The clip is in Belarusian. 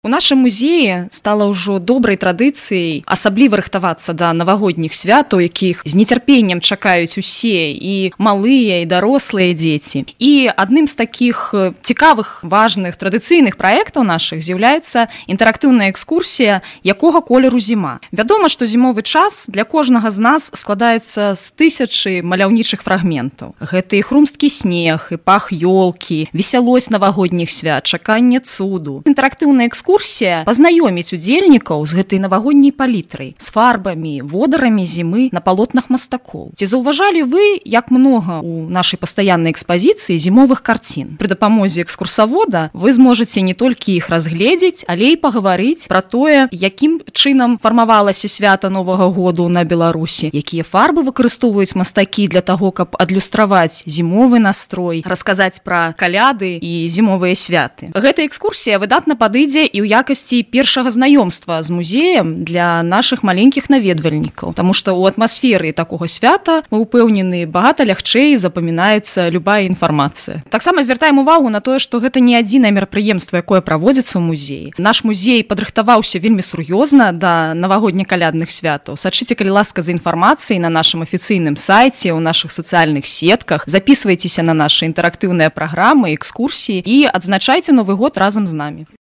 У нашым музеі стала ўжо добрай традыцыяй асабліва рыхтавацца да навагодніх святаў, якіх з нецярпеннем чакаюць усе, і малыя, і дарослыя дзеці. І адным з такіх цікавых, важных, традыцыйных праектаў нашых з'яўляецца інтэрактыўная экскурсія «Якога колеру зіма». Вядома, што зімовы час для кожнага з нас складаецца з тысячы маляўнічых фрагментаў. Гэта і хрумсткі снег, і пах ёлкі, весялосць навагодніх свят, чаканне цуду. Інтэрактыўная экскурсія пазнаёміць удзельнікаў з гэтай навагодняй палітрай, з фарбамі, водарамі зімы на палотнах мастакоў. Ці заўважалі вы, як многа у нашай пастаяннай экспазіцыі зімовых карцін? Пры дапамозе экскурсавода вы зможаце не толькі іх разгледзець, але і пагаварыць пра тое, якім чынам фармавалася свята Новага году на Беларусі, якія фарбы выкарыстоўваюць мастакі для таго, каб адлюстраваць зімовы настрой, расказаць пра каляды і зімовыя святы. Гэта экскурсія выдатна падыдзе і ў якасці першага знаёмства з музеем для нашых маленькіх наведвальнікаў, таму што ў атмасферы такога свята мы ўпэўнены, багата лягчэй запамінаецца любая інфармацыя. Таксама звяртаем увагу на тое, што гэта не адзінае мерапрыемства, якое праводзіцца ў музеі. Наш музей падрыхтаваўся вельмі сур'ёзна да навагодне-калядных святаў. Сачыце, калі ласка, за інфармацыяй на нашым афіцыйным сайце, у нашых сацыяльных сетках, запісвайцеся на нашы інтэрактыўныя праграмы, экскурсіі і адзначайце Новы год разам з намі.